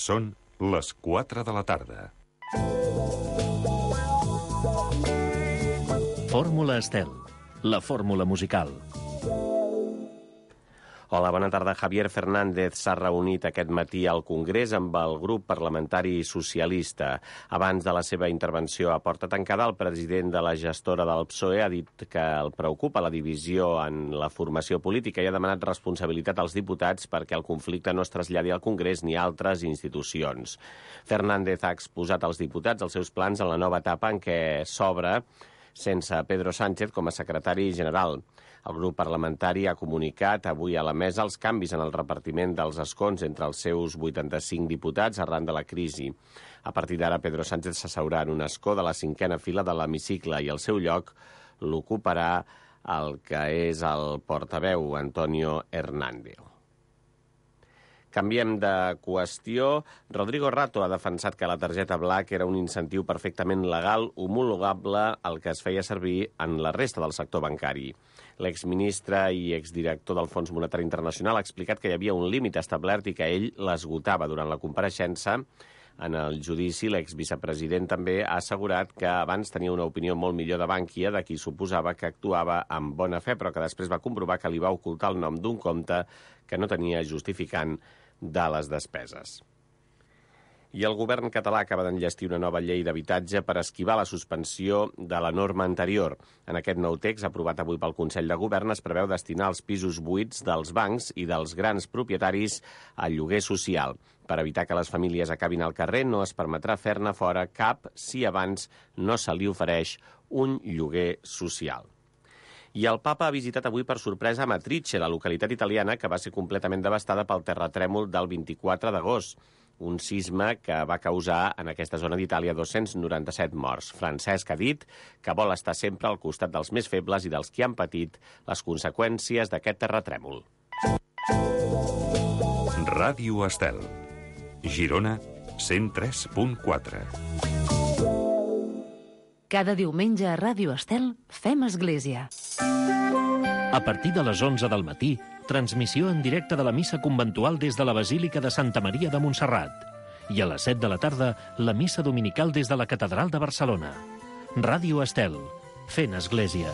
Són les 4 de la tarda. Fórmula Estel, la fórmula musical. Hola, bona tarda. Javier Fernández s'ha reunit aquest matí al Congrés amb el grup parlamentari socialista. Abans de la seva intervenció a porta tancada, el president de la gestora del PSOE ha dit que el preocupa la divisió en la formació política i ha demanat responsabilitat als diputats perquè el conflicte no es traslladi al Congrés ni a altres institucions. Fernández ha exposat als diputats els seus plans en la nova etapa en què s'obre sense Pedro Sánchez com a secretari general. El grup parlamentari ha comunicat avui a la mesa els canvis en el repartiment dels escons entre els seus 85 diputats arran de la crisi. A partir d'ara, Pedro Sánchez s'asseurà en un escó de la 5a fila de l'hemicicle i el seu lloc l'ocuparà el que és el portaveu, Antonio Hernández. Canviem de qüestió. Rodrigo Rato ha defensat que la targeta Black era un incentiu perfectament legal homologable al que es feia servir en la resta del sector bancari. L'exministre i exdirector del Fons Monetari Internacional ha explicat que hi havia un límit establert i que ell l'esgotava durant la compareixença. En el judici, l'exvicepresident també ha assegurat que abans tenia una opinió molt millor de Bankia, de qui suposava que actuava amb bona fe, però que després va comprovar que li va ocultar el nom d'un compte que no tenia justificant de les despeses. I el govern català acaba d'enllestir una nova llei d'habitatge per esquivar la suspensió de la norma anterior. En aquest nou text, aprovat avui pel Consell de Govern, es preveu destinar els pisos buits dels bancs i dels grans propietaris al lloguer social. Per evitar que les famílies acabin al carrer, no es permetrà fer-ne fora cap si abans no se li ofereix un lloguer social. I el papa ha visitat avui per sorpresa Amatrice, la localitat italiana que va ser completament devastada pel terratrèmol del 24 d'agost, un sisme que va causar en aquesta zona d'Itàlia 297 morts. Francesc ha dit que vol estar sempre al costat dels més febles i dels que han patit les conseqüències d'aquest terratrèmol. Ràdio Estel, Girona 103.4. Cada diumenge a Ràdio Estel fem església. A partir de les 11 del matí, transmissió en directe de la missa conventual des de la Basílica de Santa Maria de Montserrat. I a les 7 de la tarda, la missa dominical des de la Catedral de Barcelona. Ràdio Estel, fent església.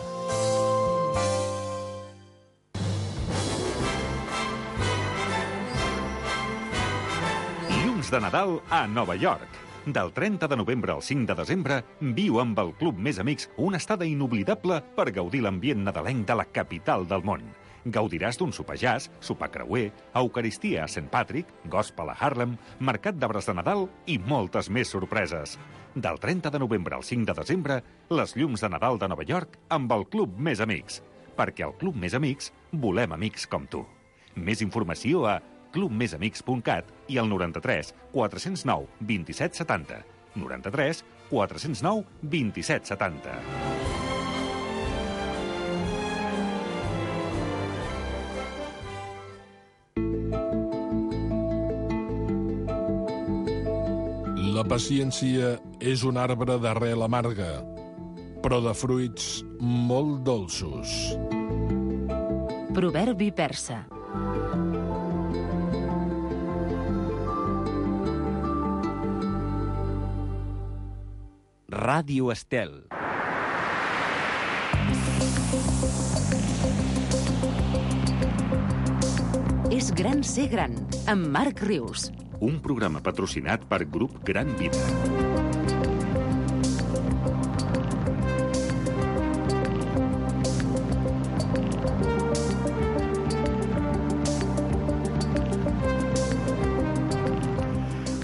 Llums de Nadal a Nova York. Del 30 de novembre al 5 de desembre, viu amb el Club Més Amics una estada inoblidable per gaudir l'ambient nadalenc de la capital del món. Gaudiràs d'un sopar jazz, sopar creuer, eucaristia a St. Patrick, gospel a Harlem, mercat d'arbres de Nadal i moltes més sorpreses. Del 30 de novembre al 5 de desembre, les llums de Nadal de Nova York amb el Club Més Amics. Perquè al Club Més Amics volem amics com tu. Més informació a clubmesamics.cat i al 93 409 27 70. 93 409 27 70. La paciència és un arbre d'arrel amarga, però de fruits molt dolços. Proverbi persa. Ràdio Estel. És gran ser gran, amb Marc Rius. Un programa patrocinat per Grup Gran Vida.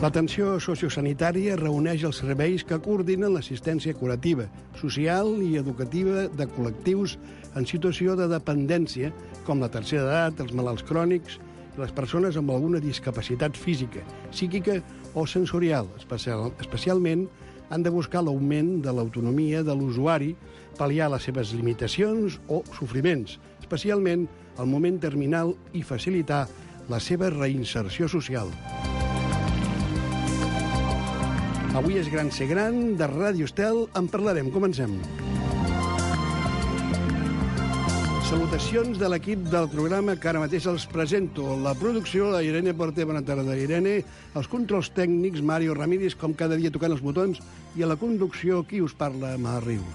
L'atenció sociosanitària reuneix els serveis que coordinen l'assistència curativa, social i educativa de col·lectius en situació de dependència, com la tercera edat, els malalts crònics i les persones amb alguna discapacitat física, psíquica o sensorial. Especialment han de buscar l'augment de l'autonomia de l'usuari, pal·liar les seves limitacions o sofriments, especialment al moment terminal i facilitar la seva reinserció social. Avui és Gran Ser Gran, de Ràdio Estel, en parlarem. Comencem. Salutacions de l'equip del programa que ara mateix els presento. La producció, la Irene Porter, bona tarda, Irene. Els controls tècnics, Mario Ramírez, com cada dia tocant els botons. I a la conducció, qui us parla, Mar Rius.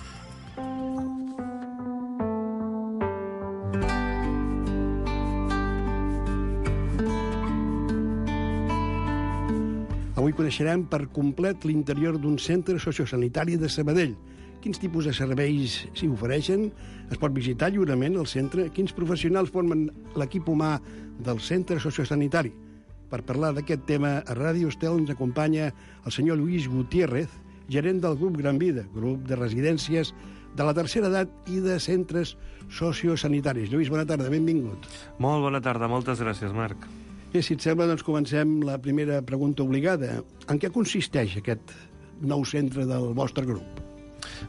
Avui coneixerem per complet l'interior d'un centre sociosanitari de Sabadell. Quins tipus de serveis s'hi ofereixen? Es pot visitar lliurement el centre? Quins professionals formen l'equip humà del centre sociosanitari? Per parlar d'aquest tema, a Ràdio Estel ens acompanya el senyor Lluís Gutiérrez, gerent del grup Gran Vida, grup de residències de la tercera edat i de centres sociosanitaris. Lluís, bona tarda, benvingut. Molt bona tarda, moltes gràcies, Marc. Bé, si et sembla, doncs comencem la primera pregunta obligada. En què consisteix aquest nou centre del vostre grup?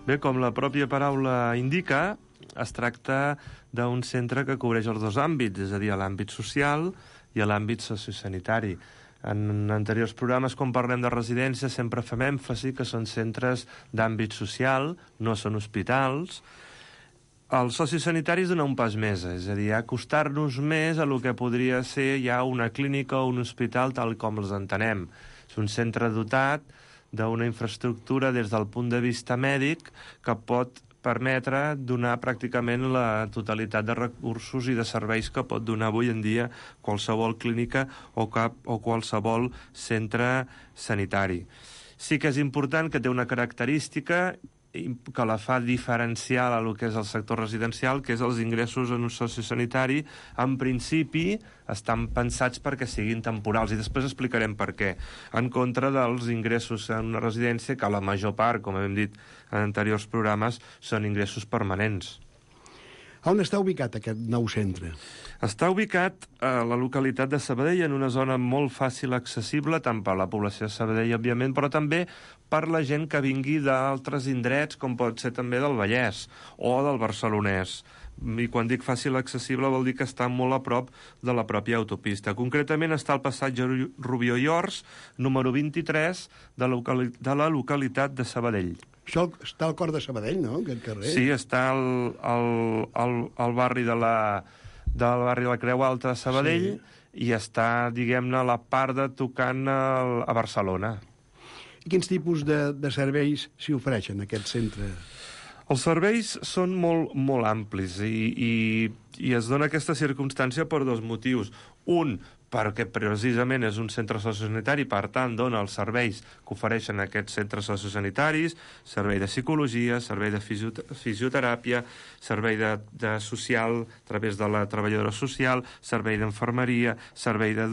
Bé, com la pròpia paraula indica, es tracta d'un centre que cobreix els dos àmbits, és a dir, l'àmbit social i l'àmbit sociosanitari. En anteriors programes, quan parlem de residències, sempre fem èmfasi que són centres d'àmbit social, no són hospitals. El sociosanitari és donar un pas més, és a dir, acostar-nos més a lo que podria ser ja una clínica o un hospital tal com els entenem. És un centre dotat d'una infraestructura des del punt de vista mèdic que pot permetre donar pràcticament la totalitat de recursos i de serveis que pot donar avui en dia qualsevol clínica o qualsevol centre sanitari. Sí que és important que té una característica que la fa diferencial a lo que és el sector residencial, que és els ingressos en un sociosanitari, en principi estan pensats perquè siguin temporals, i després explicarem per què, en contra dels ingressos en una residència, que la major part, com hem dit en anteriors programes, són ingressos permanents. On està ubicat aquest nou centre? Està ubicat a la localitat de Sabadell, en una zona molt fàcil accessible, tant per la població de Sabadell, òbviament, però també per la gent que vingui d'altres indrets, com pot ser també del Vallès o del Barcelonès. I quan dic fàcil accessible vol dir que està molt a prop de la pròpia autopista. Concretament està al passatge Rubió i Ors, número 23, de la localitat de Sabadell. Això està al cor de Sabadell, no?, aquest carrer? Sí, està al barri del barri de la Creu Alta de Sabadell, sí. I està, diguem-ne, a la part de tocant a Barcelona. I quins tipus de serveis s'hi ofereixen, a aquest centre? Els serveis són molt amplis i es dona aquesta circumstància per dos motius. Un, perquè precisament és un centre sociosanitari, per tant, dona els serveis que ofereixen aquests centres sociosanitaris, servei de psicologia, servei de fisioteràpia, servei de social a través de la treballadora social, servei d'infermeria, servei de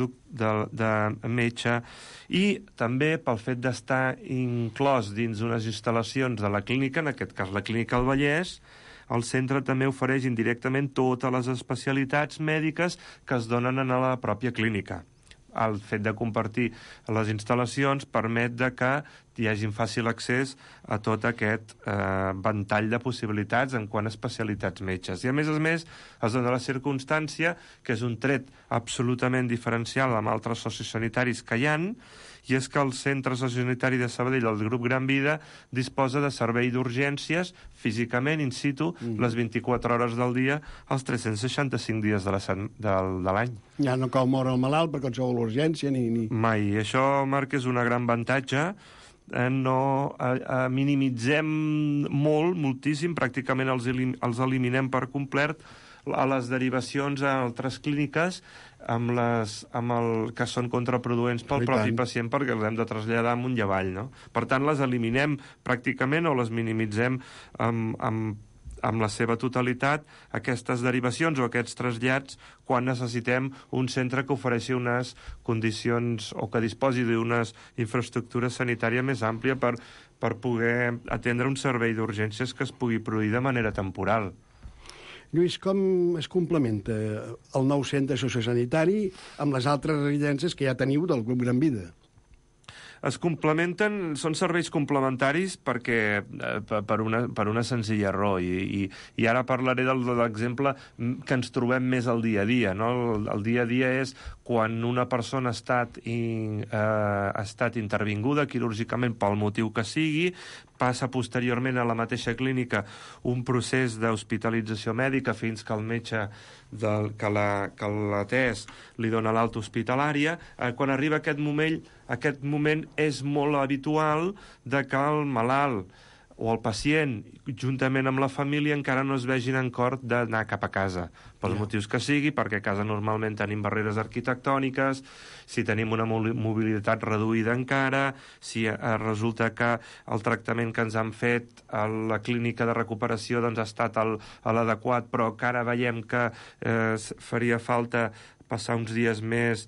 metge, i també pel fet d'estar inclòs dins unes instal·lacions de la clínica, en aquest cas la Clínica del Vallès, el centre també ofereix indirectament totes les especialitats mèdiques que es donen a la pròpia clínica. El fet de compartir les instal·lacions permet que hi hagi fàcil accés a tot aquest ventall de possibilitats en quant a especialitats metges. I a més, es dona la circumstància que és un tret absolutament diferencial amb altres sociosanitaris que hi ha, i és que el Centre Sociosanitari de Sabadell, el grup Gran Vida, disposa de servei d'urgències físicament, in situ, les 24 hores del dia, els 365 dies de l'any. Ja no cal moure el malalt per qualsevol urgència ni... Mai. Això, Marc, és un gran avantatge. Minimitzem moltíssim, pràcticament els eliminem per complet a les derivacions a altres clíniques que són contraproduents pel propi pacient perquè els hem de traslladar amunt i avall, no? Per tant, les eliminem pràcticament o les minimitzem amb la seva totalitat, aquestes derivacions o aquests trasllats, quan necessitem un centre que ofereixi unes condicions o que disposi d'unes infraestructures sanitàries més àmplia per poder atendre un servei d'urgències que es pugui produir de manera temporal. Lluís, com es complementa el nou centre sociosanitari amb les altres residències que ja teniu del grup Gran Vida? Es complementen, són serveis complementaris perquè per una senzilla raó, i ara parlaré de l'exemple que ens trobem més al dia a dia, no? El dia a dia és quan una persona ha estat intervinguda quirúrgicament pel motiu que sigui, passa posteriorment a la mateixa clínica un procés d'hospitalització mèdica fins que el metge que l'ha atès li dona l'alta hospitalària. Quan arriba aquest moment és molt habitual de que el malalt o el pacient, juntament amb la família, encara no es vegin en cor d'anar cap a casa, pels motius que sigui, perquè a casa normalment tenim barreres arquitectòniques, si tenim una mobilitat reduïda encara, si resulta que el tractament que ens han fet a la clínica de recuperació doncs, ha estat l'adequat, però que ara veiem que faria falta passar uns dies més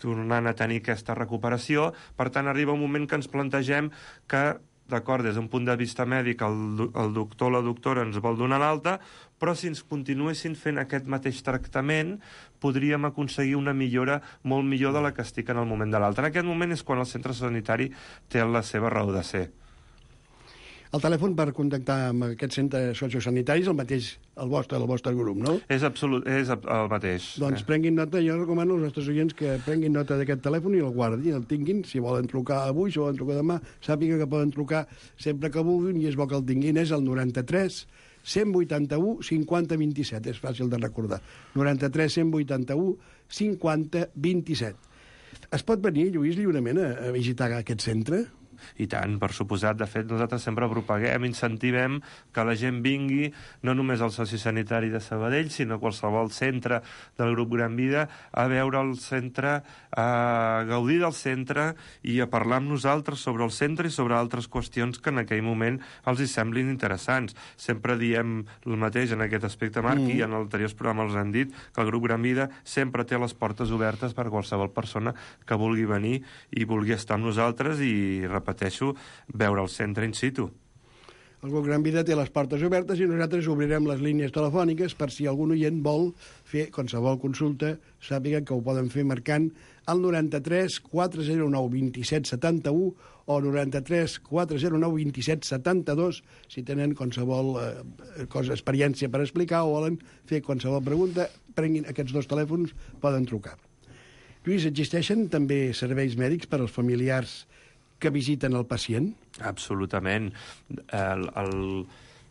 tornant a tenir aquesta recuperació. Per tant, arriba un moment que ens plantegem que d'acord, des d'un punt de vista mèdic, el doctor o la doctora ens vol donar l'alta, però si ens continuessin fent aquest mateix tractament, podríem aconseguir una millora molt millor de la que estic en el moment de l'alta. En aquest moment és quan el centre sanitari té la seva raó de ser. El telèfon per contactar amb aquest centre sociosanitari és el mateix, el vostre grup, no? És el mateix. Doncs prenguin nota, jo recomano als nostres oients que prenguin nota d'aquest telèfon i el guardin, el tinguin, si volen trucar avui, si volen trucar demà, sàpiga que poden trucar sempre que vulguin i és bo que el tinguin, és el 93 181 50 27, és fàcil de recordar. 93 181 50 27. Es pot venir, Lluís, lliurement a visitar aquest centre? I tant, per suposat. De fet, nosaltres sempre propaguem, incentivem que la gent vingui no només al sociosanitari de Sabadell, sinó a qualsevol centre del grup Gran Vida a veure el centre, a gaudir del centre i a parlar amb nosaltres sobre el centre i sobre altres qüestions que en aquell moment els hi semblin interessants. Sempre diem el mateix en aquest aspecte, Marc, i en anteriors programes els han dit que el grup Gran Vida sempre té les portes obertes per qualsevol persona que vulgui venir i vulgui estar amb nosaltres i repeteixo, veure el centre in situ. El grup Gran Vida té les portes obertes i nosaltres obrirem les línies telefòniques per si algun oient vol fer qualsevol consulta, sàpiga que ho poden fer marcant el 93 409 27 71 o 93 409 27 72 si tenen qualsevol experiència per explicar o volen fer qualsevol pregunta, prenguin aquests dos telèfons, poden trucar. Lluís, existeixen també serveis mèdics per als familiars que visiten el pacient? Absolutament.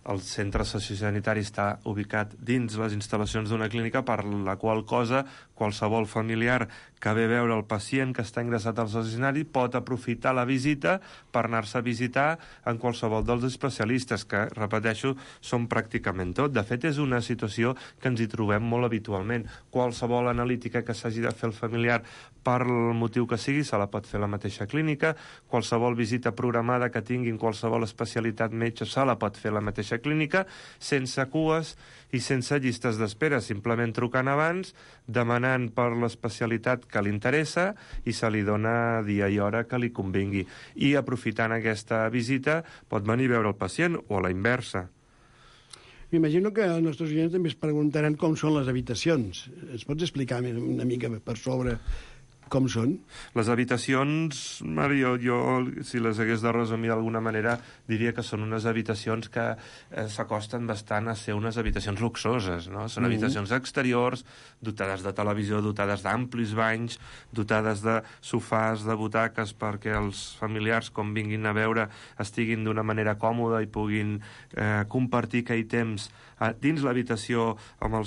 El centre sociosanitari està ubicat dins les instal·lacions d'una clínica, per la qual cosa qualsevol familiar que ve a veure el pacient que està ingressat al sociosanitari pot aprofitar la visita per anar-se a visitar en qualsevol dels especialistes, que, repeteixo, són pràcticament tot. De fet, és una situació que ens hi trobem molt habitualment. Qualsevol analítica que s'hagi de fer el familiar per el motiu que sigui, se la pot fer a la mateixa clínica. Qualsevol visita programada que tinguin qualsevol especialitat metge se la pot fer a la mateixa clínica, sense cues i sense llistes d'espera, simplement trucant abans, demanant per l'especialitat que li interessa i se li dona dia i hora que li convingui. I aprofitant aquesta visita pot venir a veure el pacient o a la inversa. M'imagino que els nostres oients també es preguntaran com són les habitacions. Es pots explicar una mica per sobre com són? Les habitacions, Mario, jo si les hagués de resumir d'alguna manera, diria que són unes habitacions que s'acosten bastant a ser unes habitacions luxoses, no? Són habitacions exteriors, dotades de televisió, dotades d'amplis banys, dotades de sofàs, de butaques, perquè els familiars, com vinguin a veure, estiguin d'una manera còmoda i puguin compartir aquell temps dins l'habitació amb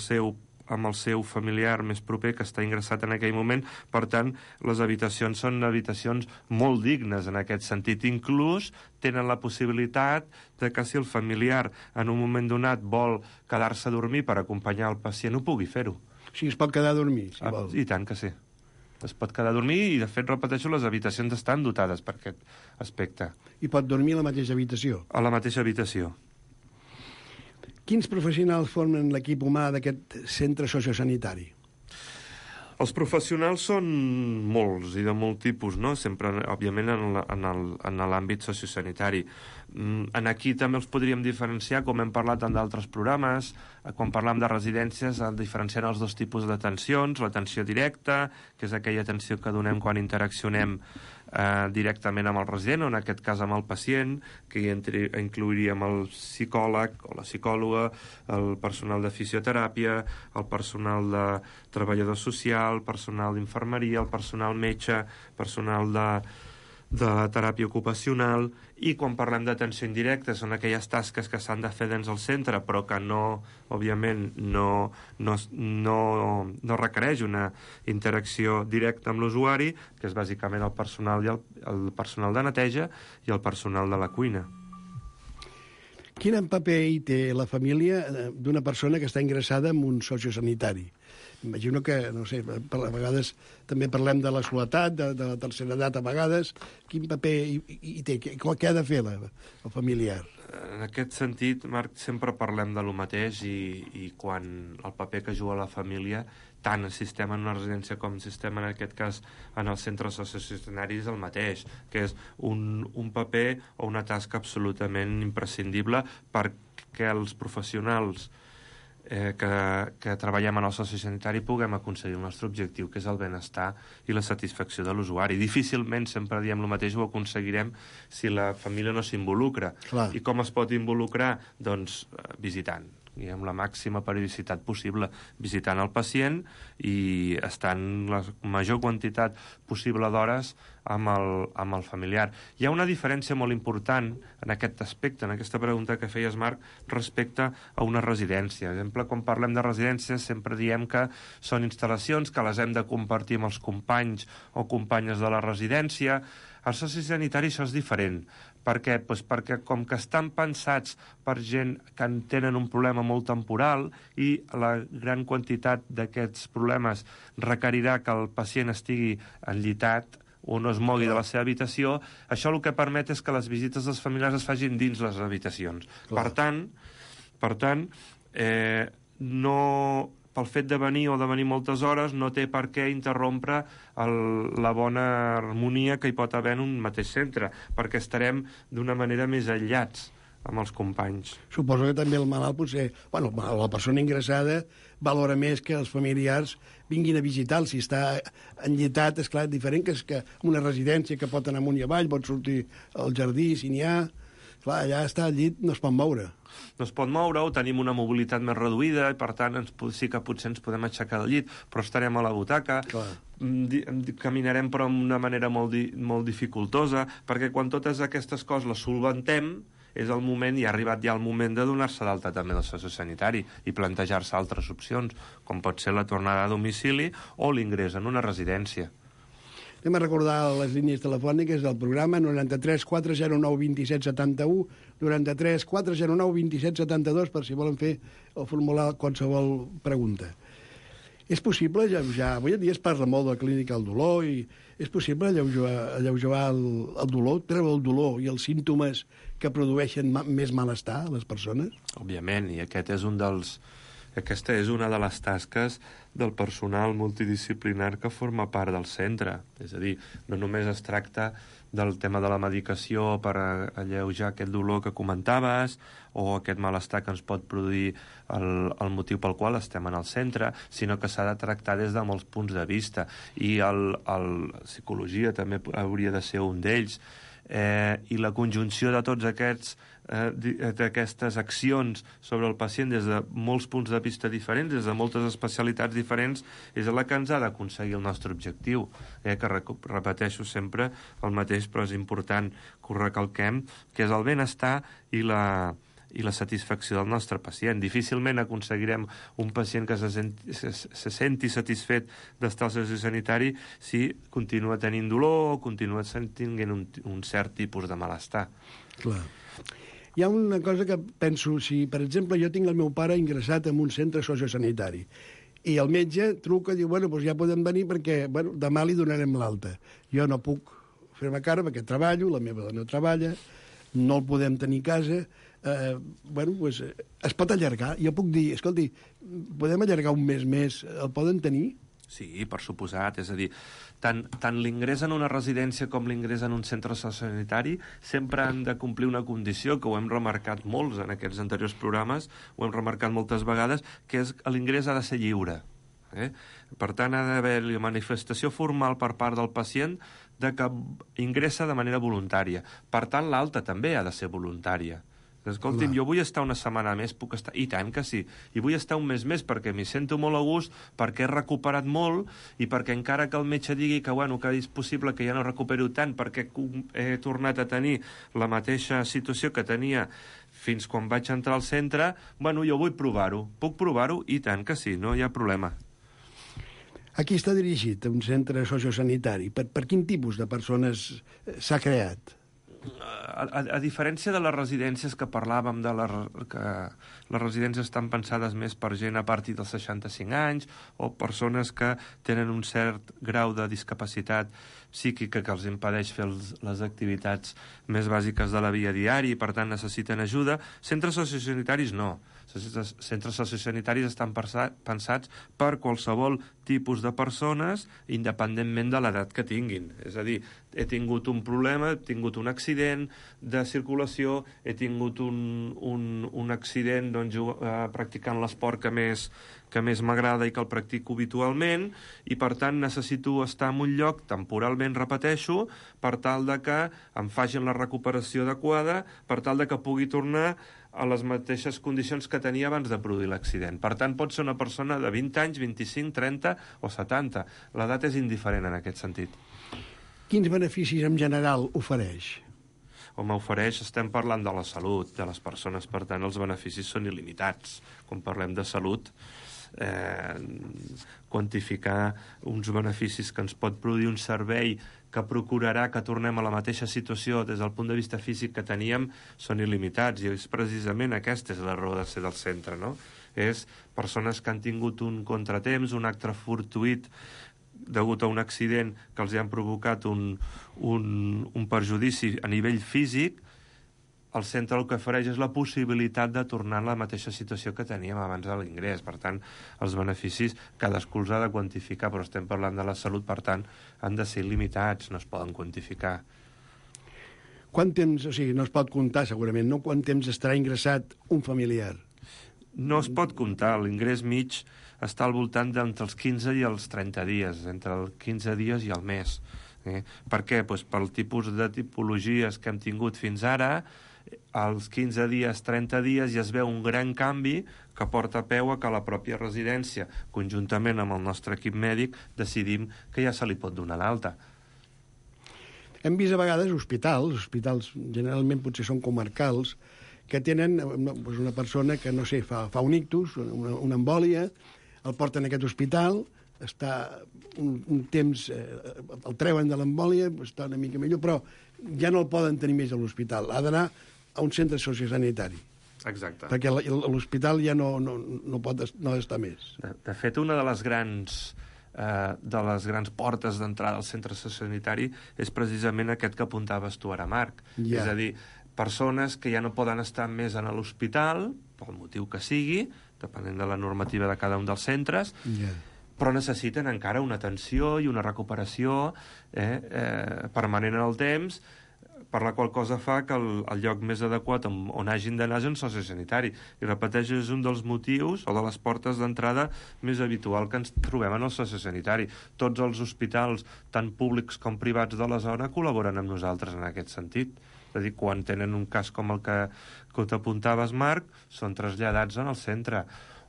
el seu familiar més proper que està ingressat en aquell moment. Per tant, les habitacions són habitacions molt dignes en aquest sentit. Inclús tenen la possibilitat de que si el familiar en un moment donat vol quedar-se a dormir per acompanyar el pacient, ho pugui fer-ho. O sigui, es pot quedar a dormir, si vol. I tant que sí. Es pot quedar a dormir i, de fet, repeteixo, les habitacions estan dotades per aquest aspecte. I pot dormir a la mateixa habitació? A la mateixa habitació. Quins professionals formen l'equip humà d'aquest centre sociosanitari? Els professionals són molts i de molt tipus, no? Sempre, òbviament, en l'àmbit sociosanitari. Aquí també els podríem diferenciar, com hem parlat en d'altres programes, quan parlam de residències, diferenciant els dos tipus d'atencions, l'atenció directa, que és aquella atenció que donem quan interaccionem directament amb el resident, o en aquest cas amb el pacient, que hi inclouríem el psicòleg o la psicòloga, el personal de fisioteràpia, el personal de treballador social, personal d'infermeria, el personal metge, personal de la teràpia ocupacional, i quan parlem d'atenció indirecta són aquelles tasques que s'han de fer dins el centre però que no, òbviament, no requereix una interacció directa amb l'usuari, que és bàsicament el personal de neteja i el personal de la cuina. Quin paper hi té la família d'una persona que està ingressada en un sociosanitari? Imagino que, no sé, a vegades també parlem de la soledat, de la tercera edat a vegades. Quin paper hi té? Què ha de fer el familiar? En aquest sentit, Marc, sempre parlem de lo mateix i quan el paper que juga la família, tant el sistema en una residència com el sistema, en aquest cas, en els centres sociosanitaris, és el mateix, que és un paper o una tasca absolutament imprescindible perquè els professionals que treballem en el sociosanitari puguem aconseguir el nostre objectiu, que és el benestar i la satisfacció de l'usuari. Difícilment, sempre diem el mateix, ho aconseguirem si la família no s'involucra. Clar. I com es pot involucrar? Doncs visitant, i amb la màxima periodicitat possible, visitant el pacient i estant la major quantitat possible d'hores amb el familiar. Hi ha una diferència molt important en aquest aspecte, en aquesta pregunta que feies, Marc, respecte a una residència. Per exemple, quan parlem de residències sempre diem que són instal·lacions que les hem de compartir amb els companys o companyes de la residència. Al sociosanitari això és diferent. Per què? Pues perquè com que estan pensats per gent que tenen un problema molt temporal i la gran quantitat d'aquests problemes requerirà que el pacient estigui enllitat o no es mogui de la seva habitació, això el que permet és que les visites dels familiars es facin dins les habitacions. Per tant, pel fet de venir o de venir moltes hores no té per què interrompre la bona harmonia que hi pot haver en un mateix centre, perquè estarem d'una manera més aïllats amb els companys. Suposo que també el malalt potser... Bueno, la persona ingressada valora més que els familiars vinguin a visitar-lo. Si està enllitat, és clar, diferent que és que una residència que pot anar amunt i avall, pot sortir al jardí, si n'hi ha... Clar, allà està al llit, no es pot moure. No es pot moure, o tenim una mobilitat més reduïda, i per tant sí que potser ens podem aixecar del llit, però estarem a la butaca. Clar. Caminarem però d'una manera molt dificultosa, perquè quan totes aquestes coses les solventem, és el moment, i ha arribat ja el moment de donar-se d'alta també del sociosanitari i plantejar-se altres opcions, com pot ser la tornada a domicili o l'ingrés en una residència. Anem a recordar les línies telefòniques del programa 93 409 27 71, 93 409 27 72, per si volen fer o formular qualsevol pregunta. És possible, ja avui en dia es parla molt de la clínica del dolor, i és possible alleujar el dolor, treure el dolor i els símptomes que produeixen més malestar a les persones? Òbviament, i aquesta és una de les tasques del personal multidisciplinar que forma part del centre. És a dir, no només es tracta del tema de la medicació per alleujar aquest dolor que comentaves o aquest malestar que ens pot produir el motiu pel qual estem en el centre, sinó que s'ha de tractar des de molts punts de vista. I la psicologia també hauria de ser un d'ells. I la conjunció de tots d'aquestes accions sobre el pacient des de molts punts de vista diferents, des de moltes especialitats diferents, és la que ens ha d'aconseguir el nostre objectiu, que repeteixo sempre el mateix, però és important que ho recalquem, que és el benestar i la satisfacció del nostre pacient. Difícilment aconseguirem un pacient que se senti satisfet d'estar al sociosanitari si continua tenint dolor o continua tenint un cert tipus de malestar. Clar. Hi ha una cosa que penso, si per exemple jo tinc el meu pare ingressat en un centre sociosanitari i el metge truca i diu, bueno, doncs ja podem venir perquè demà li donarem l'alta. Jo no puc fer-me cara perquè treballo, la meva dona treballa, no el podem tenir a casa, doncs es pot allargar. Jo puc dir, escolti, podem allargar un mes més, el poden tenir? Sí, per suposat. És a dir, tant l'ingrés en una residència com l'ingrés en un centre sociosanitari sempre han de complir una condició que ho hem remarcat molts en aquests anteriors programes, ho hem remarcat moltes vegades, que és que l'ingrés ha de ser lliure. Per tant, ha d'haver-hi manifestació formal per part del pacient de que ingressa de manera voluntària. Per tant, l'alta també ha de ser voluntària. Escolti'm, jo vull estar una setmana més, puc estar... I tant que sí. I vull estar un mes més perquè m'hi sento molt a gust, perquè he recuperat molt i perquè encara que el metge digui que, bueno, que és possible que ja no recupero tant perquè he tornat a tenir la mateixa situació que tenia fins quan vaig entrar al centre, bueno, jo vull provar-ho. Puc provar-ho? I tant que sí, no hi ha problema. A qui està dirigit un centre sociosanitari? Per quin tipus de persones s'ha creat? A diferència de les residències que parlàvem, que les residències estan pensades més per gent a partir dels 65 anys o persones que tenen un cert grau de discapacitat psíquica que els impedeix fer les activitats més bàsiques de la vida diària i, per tant, necessiten ajuda. Centres sociosanitaris no. Centres sociosanitaris estan pensats per qualsevol tipus de persones, independentment de l'edat que tinguin. És a dir, he tingut un problema, he tingut un accident de circulació, he tingut un accident practicant l'esport que més m'agrada i que el practico habitualment, i per tant necessito estar en un lloc temporalment, repeteixo, per tal de que em facin la recuperació adequada, per tal de que pugui tornar a les mateixes condicions que tenia abans de produir l'accident. Per tant, pot ser una persona de 20 anys, 25, 30 o 70. L'edat és indiferent en aquest sentit. Quins beneficis en general ofereix? Home, estem parlant de la salut de les persones, per tant, els beneficis són il·limitats. Quan parlem de salut, quantificar uns beneficis que ens pot produir un servei que procurarà que tornem a la mateixa situació des del punt de vista físic que teníem són il·limitats, i és precisament aquesta és la raó de ser del centre, no? És persones que han tingut un contratemps, un acte fortuït degut a un accident que els han provocat un perjudici a nivell físic. El centre el que ofereix és la possibilitat de tornar a la mateixa situació que teníem abans de l'ingrés. Per tant, els beneficis cadascú els ha de quantificar, però estem parlant de la salut, per tant, han de ser limitats, no es poden quantificar. Quant temps, o sigui, no es pot comptar segurament, no? Quant temps estarà ingressat un familiar? No es pot comptar, l'ingrés mig està al voltant d'entre els 15 i els 30 dies, entre els 15 dies i el mes. Per què? Pues pel tipus de tipologies que hem tingut fins ara, als 15 dies, 30 dies ja es veu un gran canvi que porta peu a que la pròpia residència, conjuntament amb el nostre equip mèdic, decidim que ja se li pot donar l'alta. Hem vist a vegades hospitals generalment potser són comarcals, que tenen una persona que, no sé, fa un ictus, una embòlia, el porten a aquest hospital, està un temps, el treuen de l'embòlia, està una mica millor, però ja no el poden tenir més a l'hospital. Ha d'anar a un centre sociosanitari. Exacte. Perquè l'hospital ja no pot estar més. De fet, una de les grans portes d'entrada al centre sociosanitari és precisament aquest que apuntaves tu ara, Marc. Ja. És a dir, persones que ja no poden estar més en l'hospital, pel motiu que sigui, depenent de la normativa de cada un dels centres, però necessiten encara una atenció i una recuperació permanent en el temps, per la qual cosa fa que el lloc més adequat on hagin d'anar és un sociosanitari. I repeteixo, és un dels motius o de les portes d'entrada més habitual que ens trobem en el sociosanitari. Tots els hospitals, tant públics com privats de la zona, col·laboren amb nosaltres en aquest sentit. És a dir, quan tenen un cas com el que t'apuntaves, Marc, són traslladats en el centre.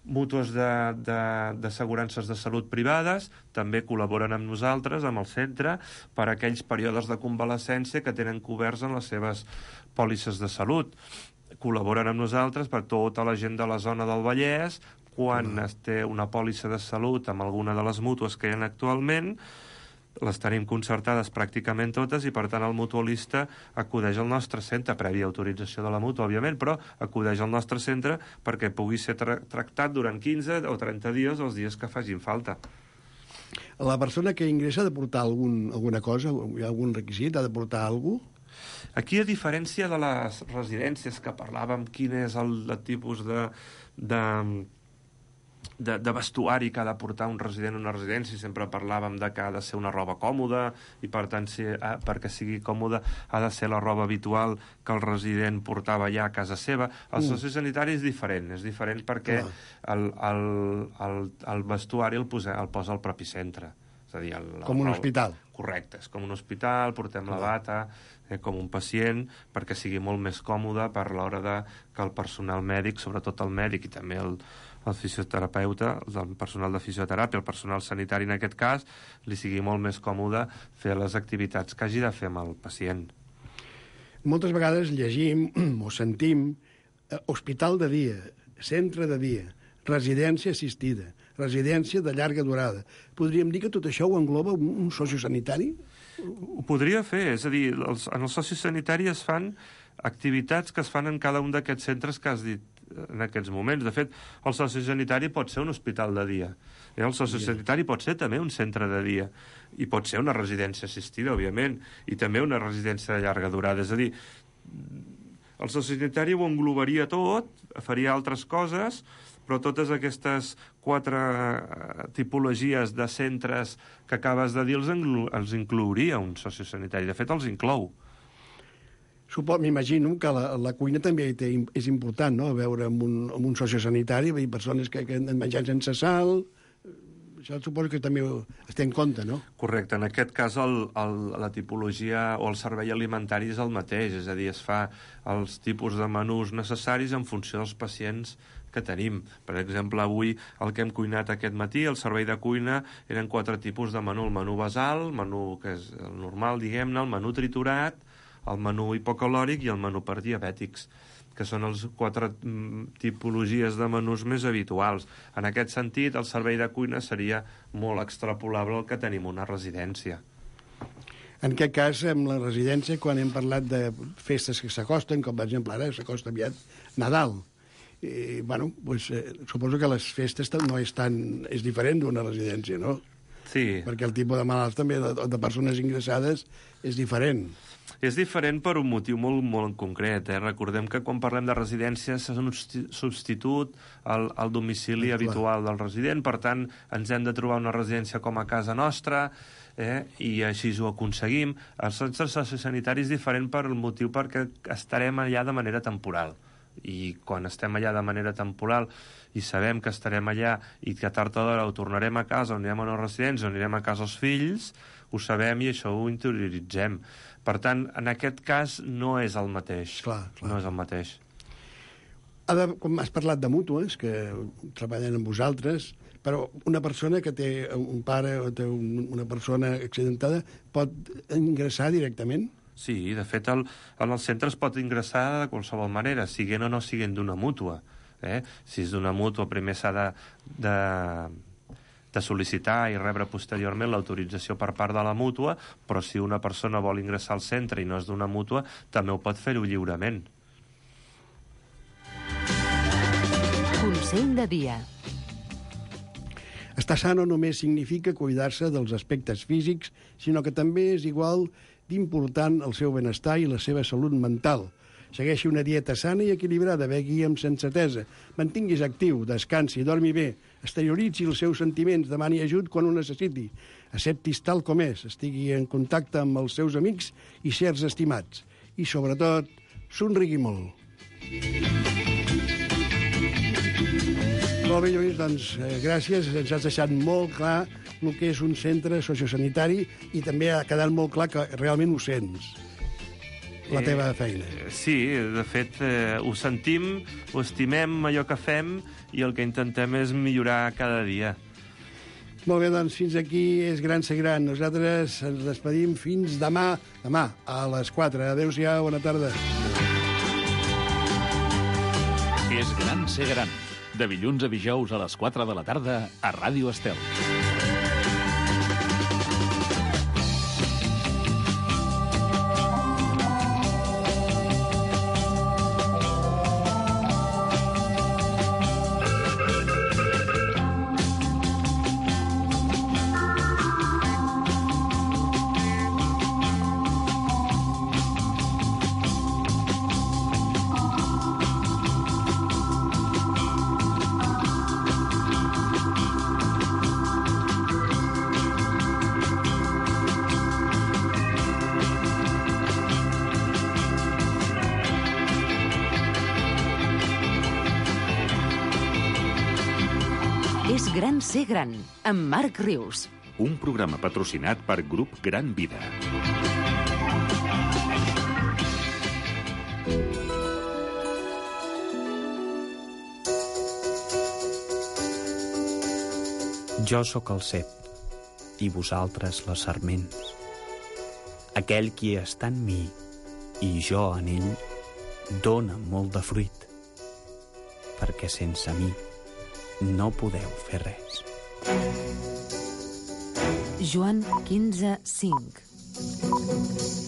Mútues d'assegurances de salut privades també col·laboren amb nosaltres, amb el centre, per a aquells períodes de convalescència que tenen coberts en les seves pòlisses de salut. Col·laboren amb nosaltres per tota la gent de la zona del Vallès, quan es té una pòlissa de salut amb alguna de les mútues que hi ha actualment, les tenim concertades pràcticament totes i, per tant, el mutualista acudeix al nostre centre, prèvia autorització de la mútua, òbviament, però acudeix al nostre centre perquè pugui ser tractat durant 15 o 30 dies els dies que facin falta. La persona que ingressa ha de portar alguna cosa, hi ha algun requisit, ha de portar alguna cosa? Aquí, a diferència de les residències que parlàvem, quin és el tipus de vestuari que ha de portar un resident a una residència, sempre parlàvem de que ha de ser una roba còmoda i, per tant, perquè sigui còmoda ha de ser la roba habitual que el resident portava ja a casa seva. El sociosanitari és diferent perquè el vestuari el posa al propi centre. És a dir, com un hospital. Correcte, és com un hospital, portem la bata, com un pacient, perquè sigui molt més còmode per l'hora que el personal mèdic, sobretot el mèdic i també el fisioterapeuta, el personal de fisioteràpia, el personal sanitari en aquest cas, li sigui molt més còmode fer les activitats que hagi de fer amb el pacient. Moltes vegades llegim o sentim hospital de dia, centre de dia, residència assistida, residència de llarga durada. Podríem dir que tot això ho engloba un sociosanitari? Ho podria fer, és a dir, en el sociosanitari es fan activitats que es fan en cada un d'aquests centres que has dit en aquests moments. De fet, el sociosanitari pot ser un hospital de dia. El sociosanitari pot ser també un centre de dia. I pot ser una residència assistida, òbviament, i també una residència de llarga durada. És a dir, el sociosanitari ho englobaria tot, faria altres coses, però totes aquestes 4 tipologies de centres que acabes de dir els inclouria un sociosanitari. De fet, els inclou. M'imagino que la cuina també és important, no?, veure amb un sociosanitari, hi ha persones que han menjat sense sal. Això suposo que també es té en compte, no? Correcte. En aquest cas, la tipologia o el servei alimentari és el mateix, és a dir, es fa els tipus de menús necessaris en funció dels pacients que tenim. Per exemple, avui el que hem cuinat aquest matí, el servei de cuina, eren 4 tipus de menú. El menú basal, el menú que és el normal, diguem-ne, el menú triturat, el menú hipocalòric i el menú per diabètics, que són les 4 tipologies de menús més habituals. En aquest sentit, el servei de cuina seria molt extrapolable al que tenim una residència. En aquest cas, amb la residència, quan hem parlat de festes que s'acosten, com per exemple ara s'acosta aviat Nadal, suposo que les festes no és diferent d'una residència, no? Sí. Perquè el tipus de malalts també, de persones ingressades, és diferent. És diferent per un motiu molt, molt en concret. Recordem que quan parlem de residències és un substitut al domicili habitual del resident, per tant, ens hem de trobar una residència com a casa nostra, i així ho aconseguim. Els centres sociosanitaris és diferent per el motiu perquè estarem allà de manera temporal. I quan estem allà de manera temporal i sabem que estarem allà i que tard o d'hora ho tornarem a casa, o anirem a una residència, o anirem a casa els fills, ho sabem i això ho interioritzem. Per tant, en aquest cas no és el mateix. Clar. No és el mateix. Com has parlat de mútues, que treballen amb vosaltres, però una persona que té un pare o té una persona accidentada pot ingressar directament? Sí, de fet, en els centres pot ingressar de qualsevol manera, siguent o no siguent d'una mútua. Si és d'una mútua, primer s'ha de sol·licitar i rebre posteriorment l'autorització per part de la mútua, però si una persona vol ingressar al centre i no és d'una mútua, també ho pot fer-ho lliurement. Consell de dia. Estar sa no només significa cuidar-se dels aspectes físics, sinó que també és igual d'important el seu benestar i la seva salut mental. Segueixi una dieta sana i equilibrada, begui amb sensatesa, mantinguis actiu, descansi, dormi bé, exterioritzi els seus sentiments, demani ajut quan ho necessiti, acceptis tal com és, estigui en contacte amb els seus amics i certs estimats. I, sobretot, somrigui molt. Molt bé, Lluís, doncs gràcies. Ens has deixat molt clar el que és un centre sociosanitari i també ha quedat molt clar que realment ho sents, la teva feina. Sí, de fet, ho sentim, ho estimem, allò que fem, i el que intentem és millorar cada dia. Molt bé, doncs fins aquí és Gran Ser Gran. Nosaltres ens despedim fins demà a les 4. Adéu-siau, bona tarda. És Gran Ser Gran. De dilluns a dijous a les 4 de la tarda a Ràdio Estel. És Gran Ser Gran, amb Marc Rius. un programa patrocinat per Grup Gran Vida. Jo sóc el cep, i vosaltres les sarments. Aquell qui està en mi i jo en ell dóna molt de fruit, perquè sense mi no podeu fer res. Joan 15:5